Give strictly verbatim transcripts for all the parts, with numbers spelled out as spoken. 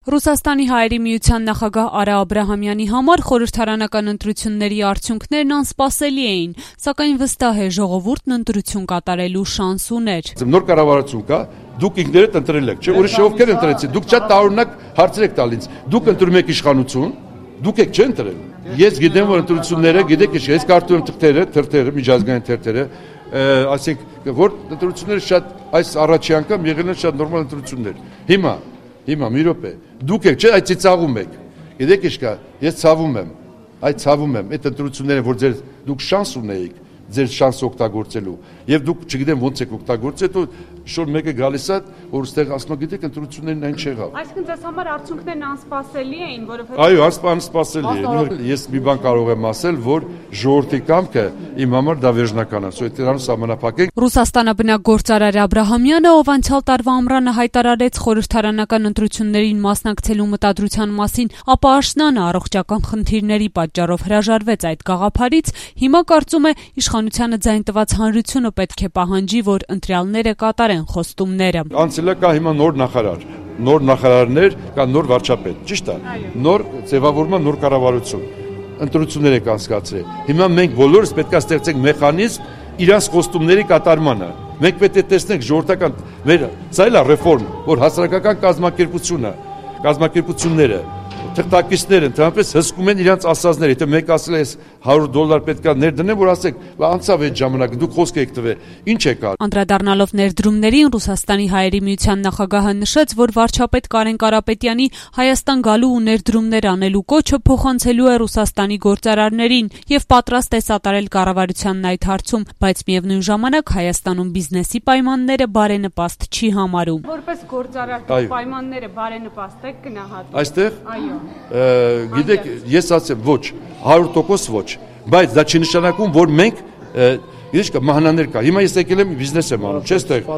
Ռուսաստանի հայերի միության նախագահ Արա Աբրահամյանի համար խորհրդարանական ընտրությունների արդյունքներն անսպասելի էին, սակայն վստահ է ժողովուրդն ընտրություն կատարելու շանս ուներ։ Նոր կառավարություն կա, դուք ինքներդ ընտրել եք, չէ՞, ուրիշ ովքեր ընտրեցին, դուք շատ տարօրինակ հարցեր եք տալիս, դուք ընտրում եք իշխանություն, դուք եք չընտրել։ Ես գիտեմ, որ ընտրությունները, գիտեք, ես կարդում եմ թղթերը, թերթերը, միջազգային թերթերը, ասենք, որ ընտրությունները շատ այս առաջի անգամ եղել են շատ նորմալ ընտրություններ։ Հիմա Հիմա մի րոպե, դուք եք, չէ, այդ ցիծաղում եք։ Գիտեք ինչ կա, ես ցավում եմ, այդ ցավում եմ, այդ ընտրությունները, որ ձեր դուք շանս ունեիք, ձեր շանսը օգտագործելու, եւ դուք չգիտեմ ոնց եք օգտագործել, դու շոր մեկը գալիս է, որ ստեղ ասում է, գիտեք, ընտրություններն այն չեղավ։ Այսինքն ձեզ համար արդյունքներն անսպասելի էին, որովհետեւ Այո, անսպասելի է։ Ես մի բան կարող եմ ասել, որ ժողովրդի կամքը իմ համար դա վերջնական է, սա դրանով սահմանափակենք։ Ռուսաստանաբնակ գործարար Աբրահամյանը, ով անցյալ տարվա ամռանը հայտարարեց խորհրդարանական ընտրություններին մասնակցելու մտադրության մասին, ապա աշնանը առողջական խնդիրների պատճառով հրաժարվեց այդ գաղափարից, հիմա կարծում է իշխանությանը ձայն տված հանրությունը պետք է պահանջի, որ ընտրյալները կատարեն խոստումները։ Անցել է կա հիմա նոր նախարար, նոր նախարարներ, կա նոր վարչապետ, ճիշտ է։ Նոր ձևավորման նոր կառավարություն, ընտրություններ եք անցկացրել։ Հիմա մենք բոլորս պետք է ստեղծենք մեխանիզմ իրանց խոստումների կատարմանը։ Մենք պետք է տեսնենք ժողովրդական մեր սա էլ է ռեֆորմ, որ հասարակական կազմակերպությունը, կազմակերպությունները թղթակիցները ընդհանրապես հսկում են իրենց ասածները, եթե մեկ ասել է հարյուր դոլար պետքա ներդնեմ, որ ասեք, անցավ այդ ժամանակը, դուք խոսք եք տվել, ինչ եք արել։ Անդրադառնալով ներդրումներին, Ռուսաստանի հայերի միության նախագահը նշեց, որ վարչապետ Կարեն Կարապետյանի Հայաստան գալու ու ներդրումներ անելու կոչը փոխանցելու է Ռուսաստանի գործարարներին եւ պատրաստ է սատարել կառավարությանն այդ հարցում, բայց միևնույն ժամանակ Հայաստանում բիզնեսի պայմանները բարենպաստ չի համարում։ Որպես գործարար պայմանները բարենպաստ եք գնահատում։ Այստեղ Գիտեք, ես ասեմ ոչ, հարյուր տոկոս ոչ, բայց դա չի նշանակում, որ մենք գիտեք կա մահանաներ կա։ Հիմա ես եկել եմ բիզնես եմ անում, չէ՞, ստեղ։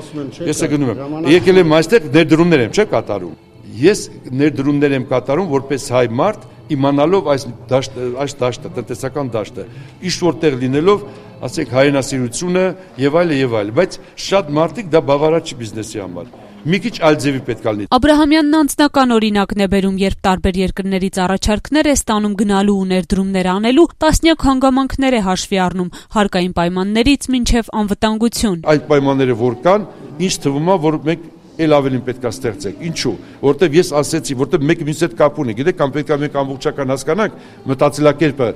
Ես գնում եմ։ Եկել եմ այստեղ ներդրումներ եմ, չէ՞ կատարում։ Ես ներդրումներ եմ կատարում որպես հայ մարդ, իմանալով այս դաշտը, այս դաշտը, տնտեսական դաշտը, ինչ որտեղ լինելով, ասենք հայրենասիրությունը եւ այլը եւ այլը, բայց շատ մարդիկ դա բավարար չի բիզնեսի համար։ Մի քիչ այլ ձևի պետք է լինի։ Աբրահամյանն անձնական օրինակն է բերում, երբ տարբեր երկրներից առաջարկներ է ստանում գնալու ու ներդրումներ անելու, տասնյակ հանգամանքներ է հաշվի առնում, հարկային պայմաններից մինչև անվտանգություն։ Այդ պայմանները որ կան, ինչ թվում է, որ մենք էլ ավելին պետք է ստեղծենք։ Ինչու՞, որտեվ ես ասեցի, որտեվ մեկը մյուսի հետ կապ ունի, գիտեք, կամ պետք է մենք ամբողջական հասկանանք մտածելակերպը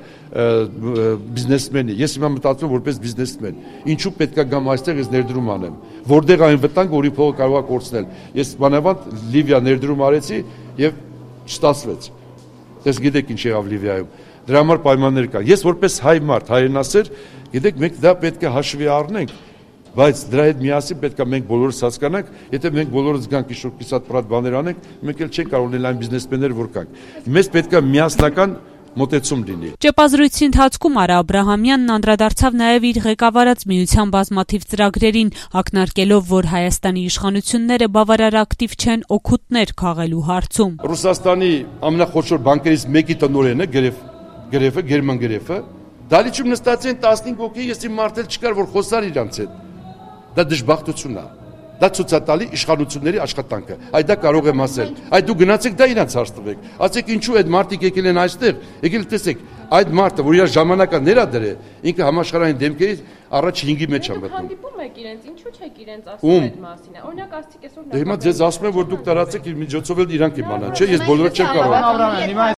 բիզնեսմենի։ Ես հիմա մտածում եմ որպես բիզնեսմեն։ Ինչու պետք է գամ այստեղ ես ներդրում անեմ, որտեղ այն վտանգ, որի փողը կարող է կորցնել։ Ես բանավանդ Լիվիա ներդրում արեցի եւ չստացվեց։ Դες գիտեք ինչ եղավ Լիվիայում։ Դրա համար պայմաններ կա։ Ես որպես հայ մարդ, հայրենասեր, գիտեք, մենք դա պետք է հաշվի առնենք։ Բայց դրա հետ միասին պետք է մենք բոլորս հասկանանք, եթե մենք բոլորս գանք ինչ-որ կիսատ պրատ բաներ անենք, մենք էլ չենք կարող լինել այն բիզնեսմեններ, որ կանք։ Մեզ պետք է միասնական մոտեցում լինի։ Ճեպազրույցի ընթացքում Արա Աբրահամյանն անդրադարձավ նաև իր ղեկավարած միության բազմաթիվ ծրագրերին, ակնարկելով, որ Հայաստանի իշխանությունները բավարար ակտիվ չեն օգուտներ քաղելու հարցում։ Ռուսաստանի ամենախոշոր բանկերից մեկի տնօրենը, Գրեֆ, Գրեֆը, Գերման Գրեֆը, դալիճում նստած են տասնհինգ հոգի, ես իմ մարդել չկար, որ խոսար իրանց հետ։ Դա դժբախտություն է։ Դա ցուցատալի իշխանությունների աշխատանքը։ Այդ դա կարող եմ ասել։ Այդ դու գնացեք դա իրանց հարց տվեք։ Ասեք ինչու այդ մարդիկ եկել են այստեղ։ Եկել տեսեք, այդ մարդը, որ իր ժամանակը ներադրե, ինքը համաշխարհային դեմքերից առաջ հինգի մեջ է մտնում։ Հանդիպում եք իրենց, ինչու չեք իրենց ասում այդ մասին։ Օրինակ ասցիք այսօր։ Դե հիմա ձեզ ասում եմ, որ դուք տարածեք իր միջոցով էլ իրանք իմանան, չէ՞, ես բոլորը չեմ կարող։